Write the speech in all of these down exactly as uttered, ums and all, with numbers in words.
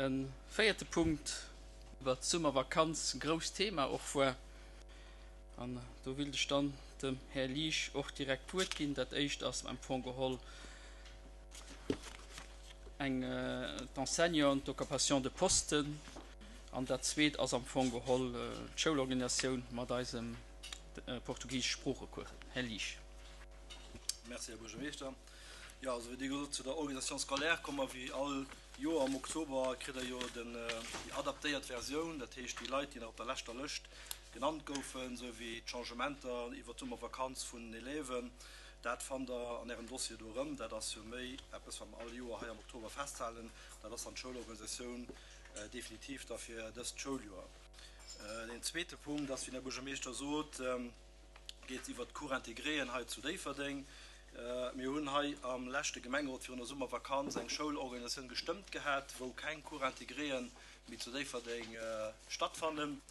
E véierte Punkt iwwert d'Summervakanz, grousst Thema och war. An do wéilt ech dann dem Här Liesch och direkt d'Wuert ginn. Dat éischt ass am Fong geholl eng d'Enseignanten, d'Occupation de posten. An dat zweet ass am Fong geholl d'Schoulorganisatioun mat eisem portugisesch Sproochecours. Här Liesch. Merci, Här Buergermeeschter. Jo, also wéi Dir gesot, zu der Organisation scolaire komme mer wéi all Joer am Oktober, kritt Der jo den, déi adaptéiert Versioun, dat heescht déi Leit, déi nach op der leschter Lëscht genannt goufen, esou wéi d'Changementer iwwert d'Summervakanz vun den Élèven. Dat fannt Der an Ärem Dossier do erëm. Dat ass jo méi eppes, wat mer all Joer hei am Oktober festhalen. Dat ass dann d'Schoulorganisatioun definitiv da fir dëst Schouljoer. Deen zweete Punkt ass, wéi den Här Buergermeeschter sot, geet iwwert d'Cours intégréen hei zu Déifferdeng. Mir hunn hei am leschte Gemengerot virun der Summervakanz eng Schoulorganisatioun gestëmmt gehat, wou keng Cours intégréen méi zu Déifferdeng stattfannen.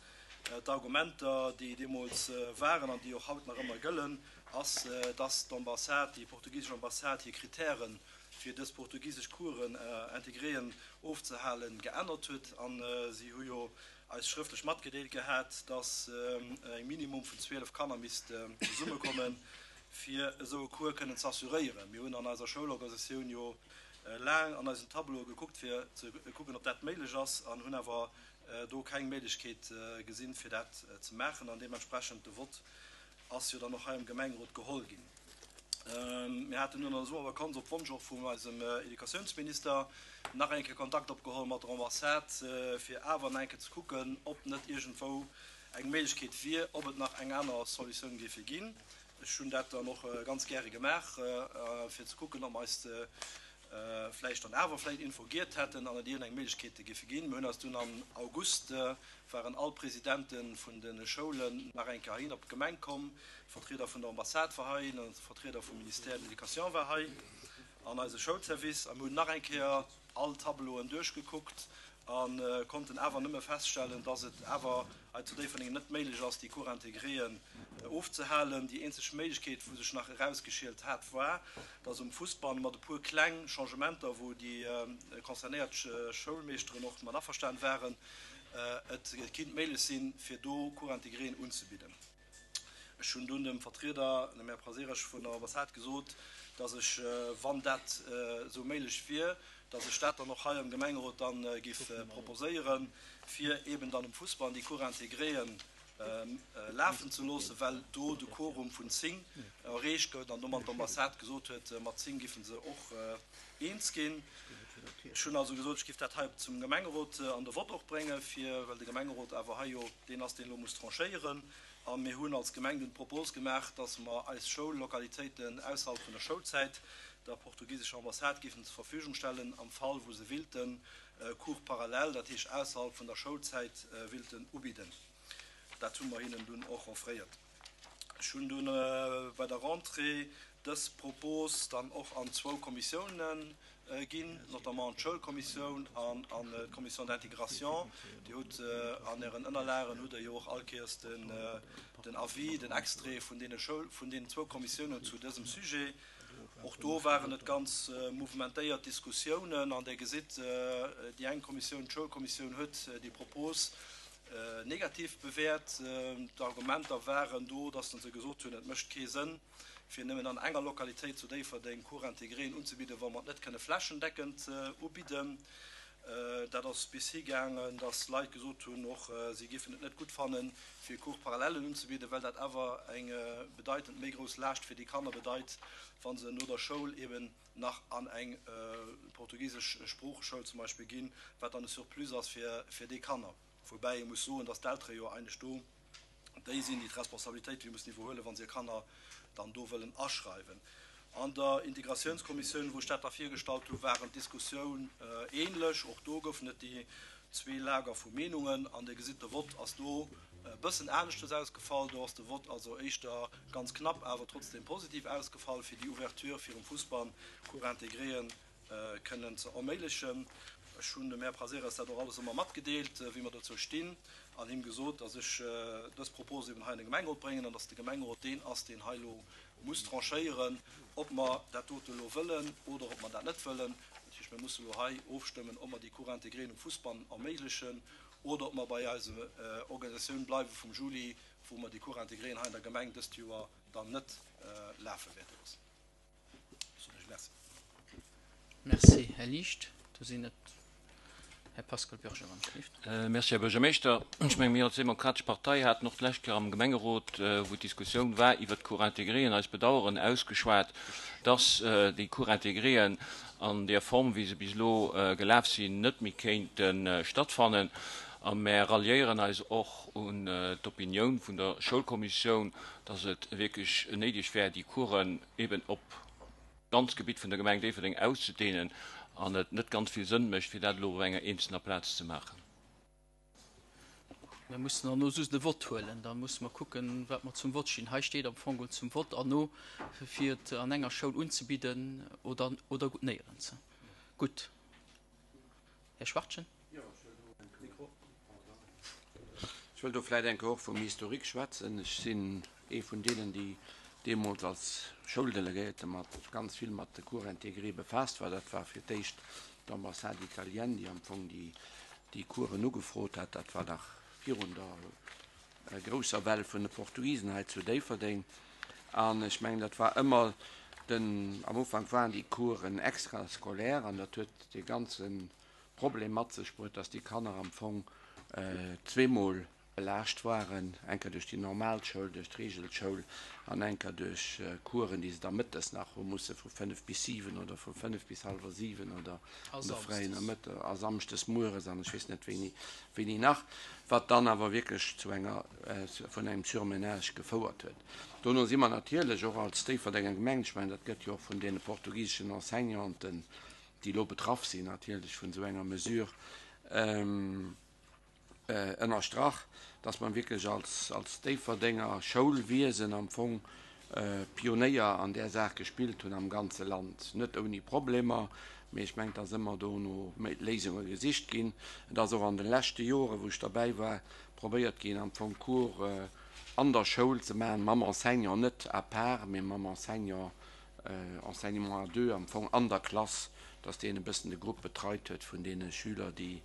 D'Argumenter, déi deemools waren an déi och haut nach ëmmer gëllen, ass, dass d'Ambassade, déi portugisesch Ambassade hir Kritären, fir dës portugisesch Cours intégréen ofzehalen, geännert huet. A si hu jo eis schrëftlech matgedeelt gehat, dass e Minimum vun zwielef Kanner misst zesummekommen, fir esou e Cours kënnen ze assuréieren. Mir hunn an eiser Schoulorganisatioun jo laang an eisen Tableaue gekuckt, fir ze kucken, ob dat méiglech ass, an hunn awer do keng Méiglechkeet gesinn, fir dat ze maachen. An deementsprechend de Vott ass jo dann och hei am Gemengerot geholl ginn. Mir haten dunn an der Summervakanz op Wonsch och vun eisem Educatiounsminister nach eng Kéier Kontakt opgeholl mat der Ambassade, fir awer nach eng Kéier ze kucken, ob net iergendwou eng Méiglechkeet wier, ob et nach eng aner Solutioun géife ginn. Ech hunn dat dann och ganz gäre gemaach, fir ze kucken, ob mer eis vläicht dann awer vläicht iergendwou giert hätten an et iergendeng Méiglechkeete géife ginn. Mir hunn eis dunn am August, waren all Presidente vun de Schoulen nach eng Kéier heihin op d'Gemeng komm, Vertrieder vun der Ambassade war hei, de Vertrieder vum Ministère de l'Éducation war hei an eise Schoulservice a mir hunn nach eng Kéier all Tableauen duerchgekuckt a konnten awer nëmme feststellen, dass et awer hei zu Déifferdeng net méiglech ass, déi Cours intégréen ofzehalen. Déi eenzeg Méiglechkeet, wou sech nach erausgeschielt hat, war, dass um Fussball mat e puer kleng Changementer, wou déi concernéiert Schoulmeeschteren och mat averstan waren, et kinnt méiglech sinn, fir do Cours intégréen unzebidden. Ech hunn dunn dem Vertrieder, dem Här Prazeres vun der Ambassade gesot, dass ech, wann dat esou méiglech wier, dass ech dat dann och hei am Gemengerot dann géif proposéieren, fir eeben dann um Fussball déi Cours intégréen lafen ze loossen, well do de Quorum vun zéng erreecht gëtt an domat d'Ambassade gesot huet, mat zéng géife se och eens ginn. Ech hunn also gesot, ech géif dat hei zum Gemengerot an de Vott och bréngen, fir, well de Gemengerot awer hei jo deen ass, deen elo muss tranchéieren. A mir hunn als Gemeng dunn d'Propos gemaach, dass mer eis Schoullokalitéiten ausserhalb vun der Schoulzäit der portugisescher Ambassade géifen zur Verfügung stellen, am Fall wou se willten Cours parallèle, dat heescht ausserhalb vun der Schoulzäit, willten ubidden. Dat hu mer hinnen dunn och offréiert. Ech hunn dunn bei der Rentrée dës Propos dann och an zwou Kommissiounen ginn, notamment an d'Schoulkommissioun an an d'Commission d'intégration. Dir hutt an Ären Ënnerlagen hutt Der jo och all Kéiers den den Avis, den Extrait vun deene Schoul, vun deenen zwou Kommissiounen zu dësem Sujet. Och do waren et ganz mouvementéiert Diskussiounen an Der gesitt, déi eng Kommissioun, d'Schoulkommissioun, huet déi Propos negativ bewäert. D'Argumenter waren do, dass se gesot hunn, et mécht kee Sënn, fir nëmmen an enger Lokalitéit zu Déifferdeng Cours intégréen unzebidden, wa mer et net kënne flächendeckend ubidden. Dat ass bis hi gaangen, dass Leit gesot hunn, och si géifen et net gutt fannen, fir Cours parallèlen unzebidden, well dat awer eng bedeitend méi grouss Laascht fir déi Kanner bedeit, wa se no der Schoul eben nach an eng portugisesch Sproocheschoul zum Beispill ginn, wat dann e Surplus ass fir déi Kanner. Woubäi ee muss soen, dass d'Eltere jo eigentlech do déi sinn, déi d'Responsabilitéit déi mussen iwwerhuelen, wa se hir Kanner dann do wëllen aschreiwen. An der Integratiounskommissioun, wou ech dat da virgestallt hu, waren d'Diskussioun ähnlech. Och do goufen et déi zwee Lager vu Meenungen. An Dir gesitt, de Vott ass do e bëssen aneschtes ausgefall. Do ass de Vott also éischter ganz knapp, awer trotzdem positiv ausgefall, fir déi Ouverture virum Fussball, Cours intégréen kënnen ze erméiglechen. Ech hunn dem Här Prazeres dat och alles ëmmer matgedeelt, wéi mer dozou stinn, an him gesot, dass ech dës Propos eben hei an de Gemengerot bréngen an dass de Gemengerot deen ass, deen hei elo muss tranchéieren, ob mer dat dote elo wëllen oder ob mer dat net wëllen. heescht, mir musse lo hei ofstëmmen, ob mer déi Cours intégréen um Fousbann erméiglechen oder ob mer bei eiser Organisatioun bleiwe vum Juli, wou mer déi Cours intégréen hei an der Gemeng dëst Joer dann net lafe wäerte loossen. Soen ech Merci. Merci, Här Liecht. Do sinn et Här Pascal Bürger am Schrift. Merci, Här Buergermeeschter. Ech menge mir als Demokratesch Partei haten och d'lescht Kéier am Gemengerot, wou d'Diskussioun war iwwert d'Cours intégréen, eist Bedauern ausgeschwat, dass déi Cours intégréen an där Form, wéi se bis elo gelaf sinn, net méi kéinte stattfannen. A mär ralliéieren eis och un d'Opinioun vun der Schoulkommissioun, dass et wierklech néideg wär, déi Coursen eben op d'ganzt Gebitt vun der Gemeng Déifferdeng auszudehnen an et net ganz vill Sënn mécht, fir dat elo op enger eenzelner Plaz ze maachen. Mir mussen dann elo just e Vott huelen. Da musse mer kucken, wat mer zum Vott stinn. Hei steet am Fong zum Vott an no, fir et an enger Schoul unzebidden oder, oder néierens. Gutt. Här Schwachtgen. Ech wëll do vläicht eng Kéier och vum Historique schwätzen. Ech sinn ee vun deenen, déi deemools als Schouldelegéierte mat ganz vill mat de Cours intégrés befaasst war. Dat war fir d'éischt d'Ambassade italienne, déi am Fong déi, déi Coursen ugefrot hat. Dat war nach virun der grousser Well vun de Portugisen hei zu Déifferdeng. An ech mengen, dat war ëmmer den, am Ufank waren déi Coursen extrascolaire an dat huet dee ganze Problem mat sech bruet, dass déi Kanner am Fong zweemol belaascht waren, eng Kéier duerch déi normal Schoul, duerch d'Regelschoul an eng Kéier duerch Coursen, déi se da mëttes nach hu musse vu fënnef bis siwen oder vu fënnef bis hallwer siwen oder A an de fräien samsdes. Nomëtte a samschdes mueres an ech weess net wéini, wéini nach, wat dann awer wierklech zu enger, vun engem Surmenage gefouert huet. Dono si mer natierlech och als Déifferdenger Gemeng, ech mengen, dat gëtt jo och vun deene portugiseschen Enseignanten, déi elo betraff sinn, natierlech vun esou enger Mesure, ënnerstrach, dass mer wierklech als, als Déifferdenger Schoulwiesen am Fong Pionéier an där Saach gespillt hunn am ganze Land. Net ouni Problemer, mee ech mengen, et ass ëmmer do no Léisunge gesicht ginn. Et ass och an de leschte Joren, wou ech derbäi war, probéiert ginn, am Fong Cours an der Schoul ze maachen, mam Enseignant, net à part, mee mam Enseignant, Enseignement à deux am Fong an der Klass, dass deen e bëssen de Grupp betreit huet vun deene Schüler, déi,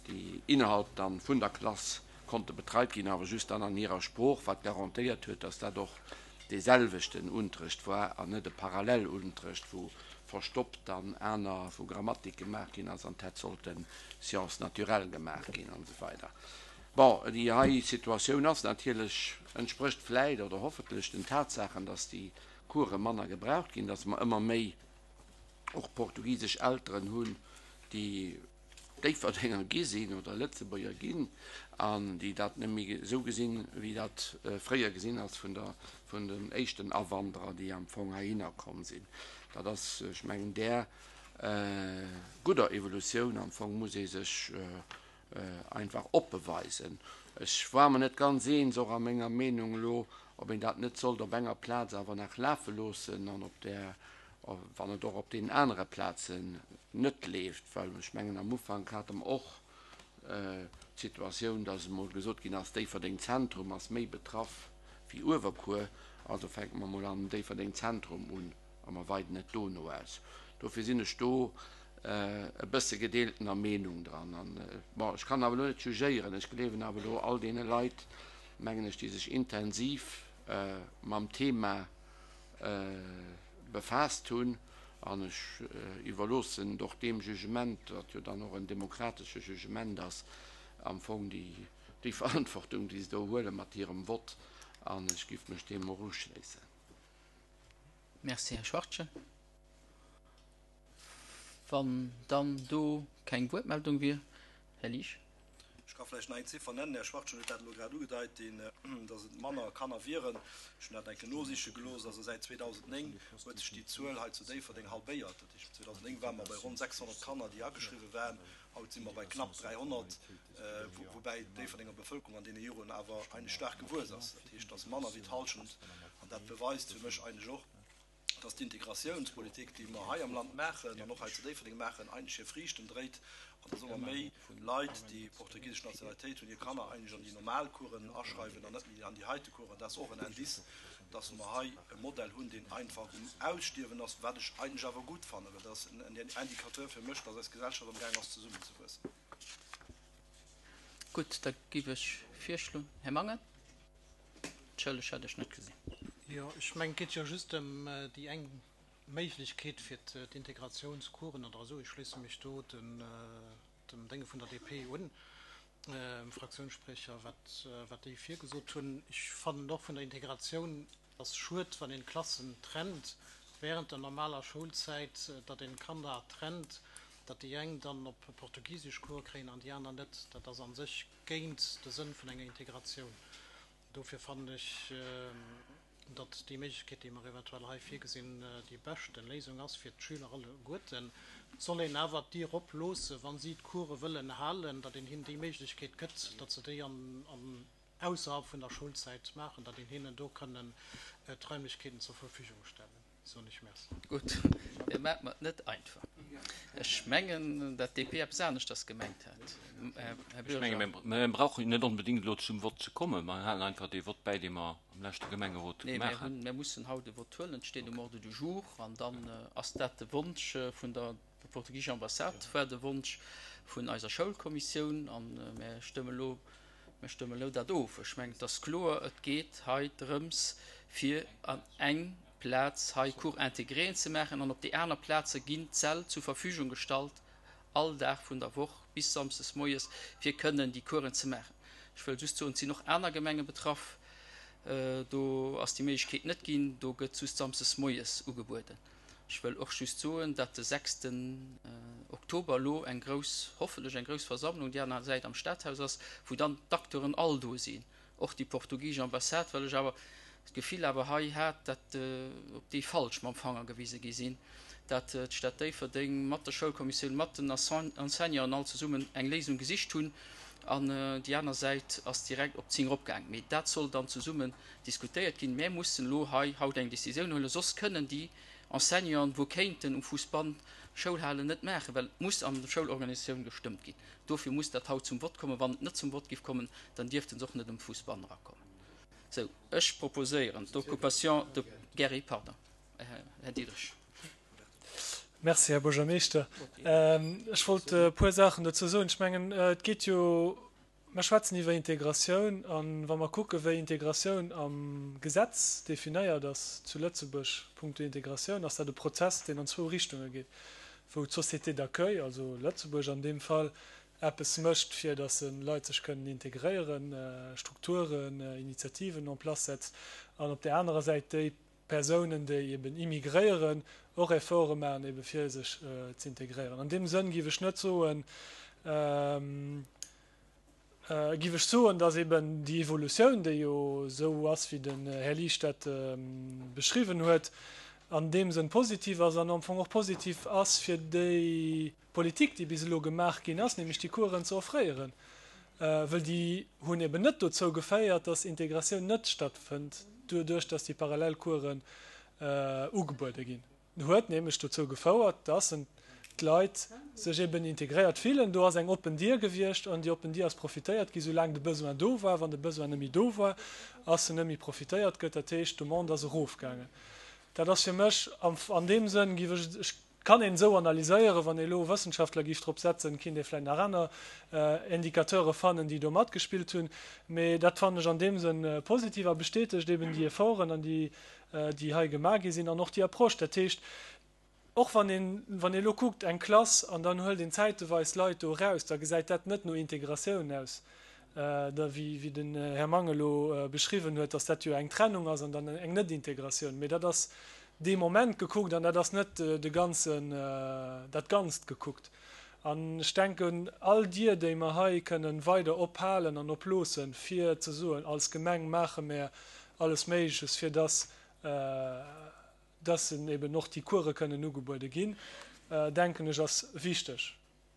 déi innerhalb dann vun der Klass konnte betreit ginn, awer just dann an hirer Sprooch, wat garantéiert huet, dass dat och dee selwechten Unterrecht war an net e Parallelunterrecht, wou verstoppt dann aner, wou Grammatik gemaach ginn ass an et hätt sollte Sciences naturelles gemaach ginn an esou weider. Bon, déi hei Situatioun ass natierlech, entsprécht vläit oder hoffentlech den Tatsaachen, dass déi Course manner gebraucht ginn, dass mer ëmmer méi och portugisesch Elteren hunn, déi Déifferdenger gi sinn oder Lëtzebuerger ginn an déi dat net méi esou gesinn, wéi dat fréier gesinn ass vun der, vun den éischten Awanderer, déi am Fong heihinner komm sinn. Dat ass, ech mengen, där gudder Evolutioun am Fong muss ee sech einfach oppe weisen. Ech war mer net ganz eens, och a menger Meenung elo, ob een dat net sollt op enger Plaz awer nach lafe loossen an op där, wann et och op deenen anere Plazen net leeft, well ech mengen, am Ufank hate mer och d'Situatioun, dass emol gesot ginn ass, Déifferdeng Zentrum ass méi betraff wéi Uewerkuer, also fänke mer emol an Déifferdeng Zentrum un a mer weiden et dono aus. Dofir sinn ech do e bësse gedeeltener Meenung dran. An, bon, ech kann awer elo net jugéieren, ech gleewen awer elo all deene Leit, mengen ech, déi sech intensiv mam Thema befaasst hunn, an ech iwwerloossen et och deem Jugement, wat jo dann och en demokratesche Jugement ass, am Fong déi, déi Verantwortung, déi se do huele mat hirem Vott, an ech giff mech deem och uschléissen. Merci, Här Schwachtgen. Wann dann do keng Wuertmeldung wier, Här Liesch. Ech ka vläicht nach eng Ziffer nennen, Här Schwachtgen huet dat elo grad ugedeit, deen, dass et manner Kanner wieren. Ech hunn dat eng Kéier nosiche gelooss. Also säit zweedausendnéng huet sech déi Zuel hei zu Déifferdeng halbéiert. Dat heescht, zweedausendnéng ware mer bei ronn sechshonnert Kanner, déi ageschriwwe waren. Haut si mer bei knapp dräihonnert, woubäi d'Déifferdenger Bevëlkerung an deene Joren awer eigentlech staark gewuess ass. Dat heescht, et ass manner wéi d'Hallschent. An dat beweist fir mech eigentlech och, dass d'Integratiounspolitik, déi mer hei am Land maachen an och hei zu Déifferdeng maachen, eigentlech hir Friichten dréit. An dass ëmmer méi Leit, déi portugisesch Nationalitéit hunn, hir Kanner eigentlech an déi normal Coursen aschreiwen an net méi an déi heite Coursen. Dat ass och en Indice, dass mer hei e Modell hunn, deen einfach um Ausstierwen ass, wat ech eigentlech awer gutt fannen, well dat ass en Indicateur fir mech, dass eis Gesellschaft amgaang ass zesummenzewuessen. Gutt, da géif ech virschloen, Här Mangen. Entschëlleg, hat ech net gesinn. Jo, ech mengen, et geet jo just ëm déi eng Méiglechkeet fir d'Integratiounscoursen oder esou. Ech schléisse mech do dem Dénge vun der D P un, dem Fraktiounsspriecher, wat, wat déi virgesot hunn. Ech fannen och vun der Integratioun, ass schued, wann een Klassen trennt während der normaler Schoulzäit, datt een Kanner trennt, datt déi eng dann op portugisesch Cours kréien an déi aner net. Dat ass an sech géint de Sënn vun enger Integratioun. Dofir fannen ech, datt déi Méiglechkeet, déi mer eventuell hei virgesinn, déi beschte Léisung ass fir d'Schüler alleguerten. Et soll een awer d'Dier oploossen, wa si d'Course wëllen halen, datt een hinnen déi Méiglechkeet gëtt, datt se déi an, an ausserhalb vun der Schoulzäit maachen, datt een hinnen do kënnen d'Raimlechkeeten zur Verfügung stellen. Soen ech Merci. Gutt, Dir maacht mer et net einfach. Ech mengen, datt d'D P eppes aneschters gemengt hat. Här Ech Bürger. menge mir brauchen net onbedéngt elo zum Vott ze kommen. Mer halen einfach dee Vott bäi, dee mer am leschte Gemengerot Nee, gemaach mir hunn, haten. mir mussen haut e Vott huelen, et steet um Ordre du jour an dann ass dat de Wonsch vun der portugiescher Ambassade, war de Wonsch vun eiser Schoulkommissioun an mir stëmme elo, mir stëmme elo dat of. Ech mengen, et ass kloer, et geet hei drëms, fir an eng Plaz hei Cours intégré ze maachen an op déi aner Plaze ginn d'Säll zur Verfügung gestallt, all Dag vun der Woch bis samsdes moies, fir kënnen déi Coursen ze maachen. Ech wëll just soen, et sinn och aner Gemenge betraff, do ass déi Méiglechkeet net ginn, do gëtt just samsdes moies ugebueden. Ech wëll och just soen, datt de sechsten Oktober elo eng grouss, hoffentlech eng grouss Versammlung déi aner Säit am Stadhaus ass, wou dann d'Acteuren all do sinn, och déi portugisesch Ambassade, well ech awer d'Gefill awer hei hat, datt op déi falsch mam Fanger gewise gi sinn, datt d'Stad Déifferdeng mat der Schoulkommissioun, mat den Enseignanten all zesummen eng Léisung gesicht hunn an déi aner Säit ass direkt op zéng eropgaangen. Mee dat soll dann zesummen diskutéiert ginn. Mir mussen elo hei haut eng Decisioun huelen, soss kënnen déi Enseignanten, wou kéinten um Fousbann Schoul halen, net maachen, well et muss an der Schoulorganisatioun gestëmmt ginn. Dofir muss dat haut zum Vott kommen. Wann et net zum Vott géif kommen, dann dierften se och net um Fousbann erakommen. Sou, ech proposéieren d'Occupation de Gary, pardon, Här Diderich. Merci, Här Buergermeeschter. Ech wollt e puer Saachen dozou soen. Ech mengen, et geet jo, mer schwätzen iwwer Integratioun, an wa mer kucke wéi Integratioun am Gesetz definéiert ass zu Lëtzebuerg punkto Integratioun, ass dat e Prozess, deen an zwou Richtunge geet, wou d'Société d'accueil, also Lëtzebuerg an deem Fall, eppes mécht, fir datt Leit sech kënnen integréieren, Strukturen, Initiativen en place setzt, an op där anerer Säit déi Persounen, déi eben immigréieren, och Efforte maachen, ebe fir sech ze integréieren. An deem Sënn géif ech net soen, géif ech soen, datt eben déi Evolutioun, déi jo esou ass, wéi den Här Liesch dat beschriwwen huet, an deem Sënn positiv ass an am Fong och positiv ass fir déi Politik, déi bis elo gemaach ginn ass, nämlech déi Coursen ze offréieren, well déi hunn eben net dozou geféiert, datt Integratioun net stattfënnt, doduerch datt déi Parallelcoursen ugebuede ginn. Huet nämlech dozou gefouert, datt d'Leit sech eben integréiert fillen. Do ass eng oppen Dier gewiescht an déi oppen Dier ass profitéiert gi soulaang de Besoin do war. Wann de Besoin net méi do war, ass se net méi profitéiert gëtt. Dat heescht, d'Demande ass erofgaangen. Dat ass fir mech an deem Sënn, géif ech, ech kann een esou analyséieren, wann ee elo Wëssenschaftler géif drop setzen, kinnt ee vläicht nach aner Indicateure fannen, déi do matgespillt hunn. Mee dat fannen ech an deem Sënn positiv a bestätegt eben déi Efforten an déi, déi hei gemaach gi sinn an och déi Approche. Dat heescht, och wann een, wann ee elo kuckt eng Klass an dann huelt een zäiteweis Leit do eraus, da gesäit dat net no Integratioun aus, da wéi, wéi den Här Mang elo beschriwwen huet, datt dat jo eng Trennung ass an dann eng Net-Integratioun. Mee dat ass dee Moment gekuckt an dat ass net de ganzen, dat Ganzt gekuckt. An ech denken, all Dier, déi mer hei kënnen weider ophalen an oploossen, fir ze soen, als Gemeng maache mer alles Méigleches, fir dass, dass eben och déi Course kënnen ugebuede ginn, denken ech, ass wichteg.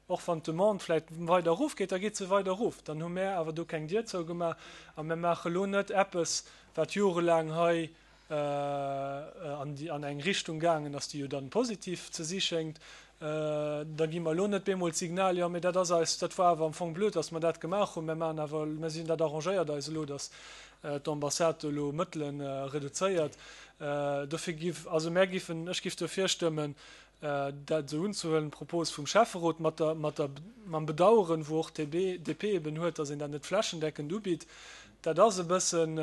Och wann d'Demande vläicht weider erofgeet, da geet se weider erof. Dann hu mär awer do keng Dier zougemaach a mir maache lo net eppes, wat jorelaang hei an déi, an eng Richtung gaangen ass, déi jo dann positiv ze si schéngt, Da gi mer elo net bemol d'Signal, jo, mee dat ass eis, dat war awer am Fong blöd, datt mer dat gemaach hunn, mir maachen awer, mir sinn, dat arrangéiert eis elo, datt d'Ambassade do elo Mëttele reduzéiert. Dofir giff, also mär giffen, ech giff dofir stëmmen, dat esou unzehuelen, d'Propos vum Schäfferot, mat der, mat der, mam Bedauern, wou och d'DP, D P eben huet, datt een dat net flächendeckend ubitt. Dat ass e bëssen,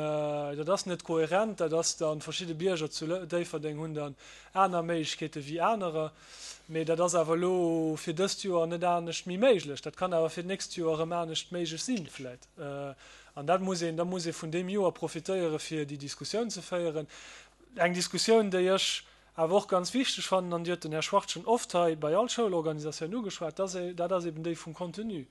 dat ass net kohärent, dat ass dann, verschidde Bierger zu Déifferdeng hunn dann aner Méiglechkeete wéi anerer. Mee dat ass awer elo fir dëst Joer net anescht méi méiglech. Dat kann awer fir d'nächst Joer erëm anescht méiglech sinn vläit. An dat muss een, da muss ee vun deem Joer profitéiere fir déi Diskussioun ze féieren. Eng Diskussioun, déi ech awer och ganz wichteg fannen, an déi huet den Här Schwarz schonn oft hei bei all Schoulorganisatioun ugeschwat, dat ass eben déi vum Contenu.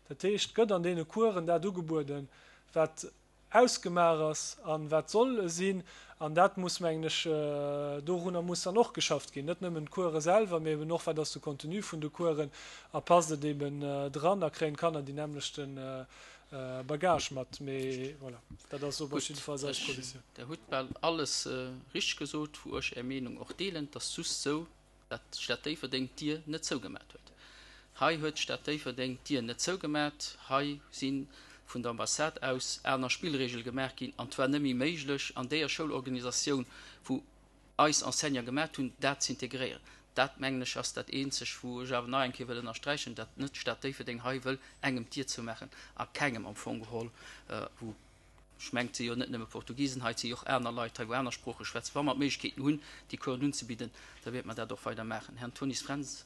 Dat heescht, gëtt an deene Coursen dat ugebueden, wat ausgemaach ass an wat soll sinn, an dat muss, mengen ech, dorunner muss dann och geschafft ginn, net nëmmen d'Course selwer, mee eben och, wat ass de Contenu vun de Coursen a passt et eben dran a kréien d'Kanner déi nämmlechte Bagage mat. Mee voilà, dat ass op jiddefalls eis Positioun. Der hutt bal alles richteg gesot, wou ech Är Meenung och deelen. Et ass just sou, dat d'Stad Déifferdeng d'Dier net zougemat huet. Hei huet d'Stad Déifferdeng d'Dier net zougemat. Hei si vun der Ambassade aus aner Spillregele gemaach ginn an et war net méi méiglech, an deeër Schoulorganisatioun, wou eis Enseignant gemat hunn, dat z'integréieren. Dat, mengen ech, ass dat Eenzeg, wou ech awer nach eng Kéier wëll ënnersträichen, datt net d'Stad Déifferdeng hei wëll engem d'Dier zoumaachen a kengem am Fong geholl, wou, ech mengen, et si jo net nëmme Portugisen hei, et si jo och aner Leit hei, wou aner Sprooche schwätzen. Wa mer d'Méiglechkeeten hunn, déi Coursen unzebidden, da wäerte mer dat och weider maachen. Här Antonis Fränz.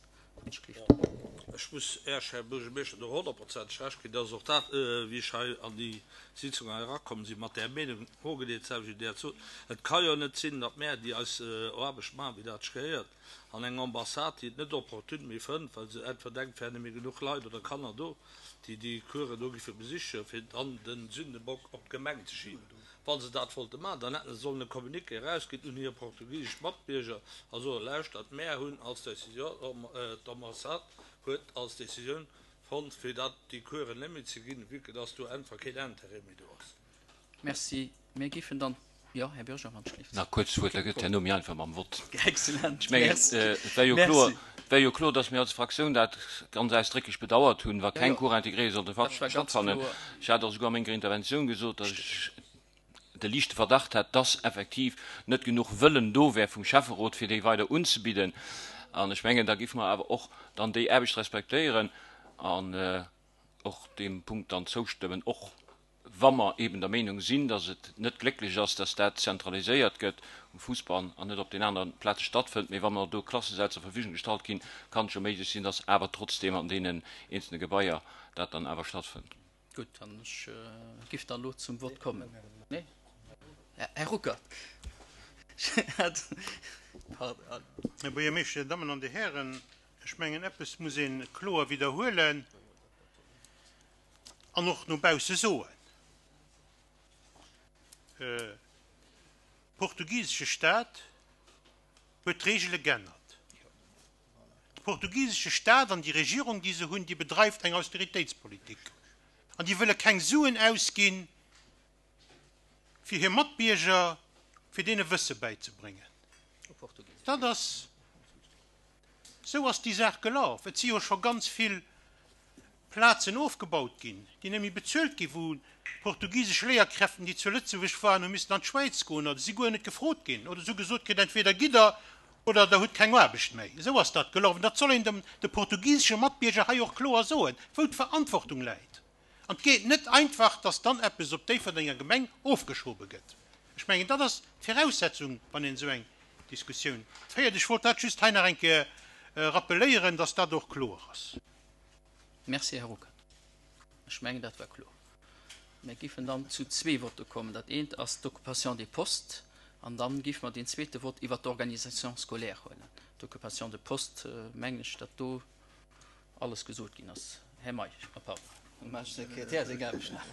Ech muss Äech, Här Buergermeeschter, do honnertprozenteg Recht ginn. Dat ass och dat, wéi ech hei an déi Sitzung hei erakomm sinn, mat där Meenung hogedeelt, selwecht wéi Dir dat sot. Et ka jo net sinn, datt mär, déi eis Aarbecht maachen, wéi dat sech gehéiert, an eng Ambassade, déi et net opportun méi fënnt, well se entweder denkt, et wären net méi genuch Leit oder Kanner do, déi déi Coursen do giffe besichen, fir dann de Sündebock op d'Gemeng ze schiben. Wa se dat wollte maachen, dann hätte se sollen e Communiqué erausginn un hir portugisesch Matbierger a soen, Lauschtert, mär hunn als Décision, d'Ambassade huet als Décisioun fonnt, fir dat déi Coursen net méi ze ginn, vue que dass do einfach keen Intérêt méi do ass. Merci. Mir géifen dann, jo, Här Bürger, wann ech gelift. Nach kuerz d'Wuert, da gëtt herno méi einfach mam Vott. Excellent. Ech mengen, Merci. et wär jo Merci. kloer, et wär jo kloer, dass mir als Fraktioun dat ganz ausdrécklech bedauert hunn, wa Jo, keng jo. Cours intégrée sollte Dat war ganz stattfannen. kloer. Ech hat och souguer a menger Interventioun gesot, dass ech de liichte Verdacht hat, dass effektiv net genuch Wëllen do wär vum Schäfferot, fir déi weider unzebidden. An ech mengen, da géife mer awer och dann déi Aarbecht respektéieren an och deem Punkt dann zoustëmmen, och wa mer eben der Meenung sinn, dass et net glécklech ass, dass dat zentraliséiert gëtt um Fousbann an net op den anere Plaze stattfënnt. Mee wa mer do Klassesäll zur Verfügung gestallt ginn, kann et jo méiglech sinn, dass awer trotzdeem an deenen eenzelne Gebaier dat dann awer stattfënnt. Gutt, an ech giff dann elo zum Vott kommen. Nee? Här Ruckert. Pardon. Här Buergermeeschter, Dir Dammen an Dir Hären, ech mengen, eppes muss ee kloer widderhuelen an och no bausse soen. De portugisesche Stat huet d'Regele geännert. De portugisesche Stat an déi Regierung, déi se hunn, déi bedreift eng Austeritéitspolitik an déi wëlle keng Suen ausginn, fir hir Matbierger, fir deene Wësse bäizebréngen. Dat ass, esou ass déi Saach gelaf. Et si jo scho ganz vill Plazen ofgebaut ginn, déi net méi bezuelt ginn, wou portugisesch Léierkräften, déi zu Lëtzebuerg waren, hu missen an d'Schwäiz goen oder si guer net gefrot ginn oder se hu gesot kritt, entweder gitt der oder der hutt keng Aarbecht méi. Esou ass dat gelaf. An dat soll een dem, de portugisesche Matbierger hei och kloer soen, wou d'Verantwortung läit. An et geet net einfach, dass dann eppes op Déifferdenger Gemeng ofgeschobe gëtt. Ech mengen, dat ass d'Viraussetzung, wann een esou eng Diskussioun féiert. Ech wollt dat just hei nach eng Kéier rappeléieren, dass dat och kloer ass. Merci, Här Ruckert. Ech mengen, dat war kloer. Mir géifen dann zu zwee Votte kommen. Dat eent ass d'Occupation des postes an dann géife mer deen zweete Vott iwwert d'Organisation scolaire huelen. D'Occupation de poste, mengen ech, datt do alles gesot ginn ass. Här Meisch, ah pardon, dem Här Sekretär seng Aarbecht nach.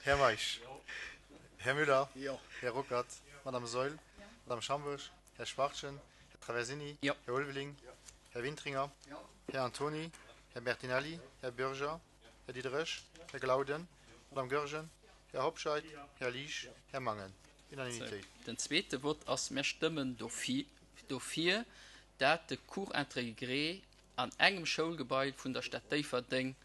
Här Meisch. Här Müller. Här Ruckert. Madame Saeul. Madame Schambourg. Här Schwachtgen. Här Traversini. Här Ulveling. Här Wintringer. Här Antoni. Här Bertinelli. Här Bürger. Här Diderich. Här Glauden. Madame Goergen. Här Hobscheit. Här Liesch. Här Mangen. Unanimitéit. Den zweete Vott ass, Mir stëmmen dofir, dat de Cours intégré an engem Schoulgebai vun der Stad Déifferdeng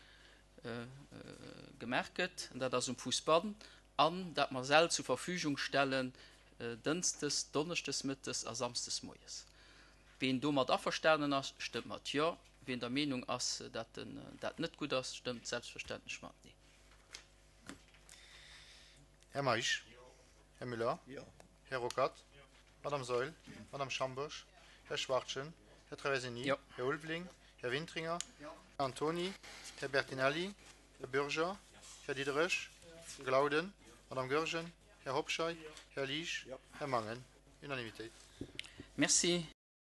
gemaach gëtt, an dat ass um Fousbann, an dat mer Säll zur Verfügung stellen dënschdes, donneschdes mëttes a samsdes moies. Ween domat averstanen ass, stëmmt mat Jo. Ween der Meenung ass, dat dat net gutt ass, stëmmt selbstverständlech mat Nee. Här Meisch? Här Müller? Här Ruckert? Madame Saeul? Madame Schambourg? Här Schwachtgen? Här Traversini? Här Ulveling? Här Wintringer? Här Antoni? Här Bertinelli? Här Bürger? Här Diderich? Här Glauden? Madame Goergen? Här Hobscheit? Här Liesch? Här Mangen? Unanimitéit. Merci.